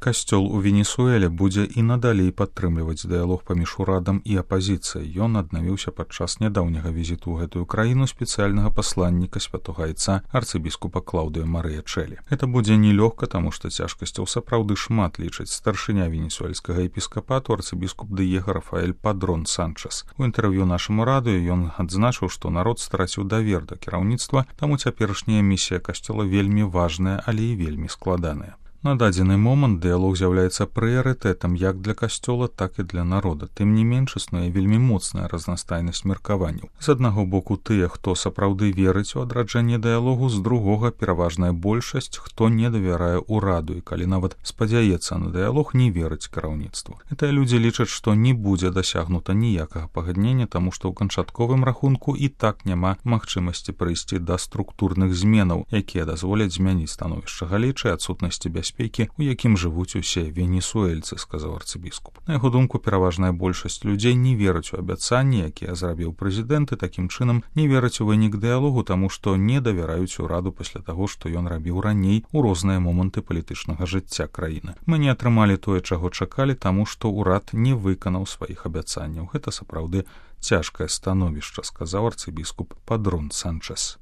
Касцёл у Венесуэле будзе і надалей падтрымліваць дыялог паміж урадам і апазіцыяй. Ён аднавіўся падчас нядаўняга візіту ў гэтую краіну спецыяльнага пасланніка святога айца арцыбіскупа Клаўдыя Марыя Чэлі. Гэта будзе нелёгка, таму што цяжкасцяў сапраўды шмат, лічыць старшыня венесуэльскага епіскапату арцыбіскуп Дыего Рафаэль Падрон Санчес. У інтэрв'ю нашаму радыё ён адзначыў, што народ страціў давер да кіраўніцтва, таму цяперашняя місія касцёла вельмі важная, але і вельмі складаная. На дадзены момант дыялог з'яўляецца прыярытэтам як для касцёла, так і для народа. Тым не менш існуе вельмі моцная разнастайнасць меркаванняў. З аднаго боку тыя, хто сапраўды верыць у адраджэнне дыялогу, з другога пераважная большасць, хто не давярае ўраду і калі нават спадзяецца на дыялог, не верыць кіраўніцтву. Гэтыя людзі лічаць, што не будзе дасягнута ніякага пагаднення, таму што ў канчатковым рахунку і так няма магчымасці прыйсці да структурных зменаў, якія дазволяць змяніць становішча галечы, адсутнасці бяспекі, у якім жывуць усе венесуэльцы, сказаў арцыбіскуп. На яго думку, пераважная большасць людзей не вераць у абяцанні, якія зрабіў прэзідэнт, і такім чынам не вераць у вынік дыялогу, таму што не давяраюць ураду пасля таго, што ён рабіў раней у розныя моманты палітычнага жыцця краіны. Мы не атрымалі тое, чаго чакалі, таму што ўрад не выканаў сваіх абяцанняў. Гэта сапраўды цяжкае становішча, сказаў арцыбіскуп Падрон Санчес.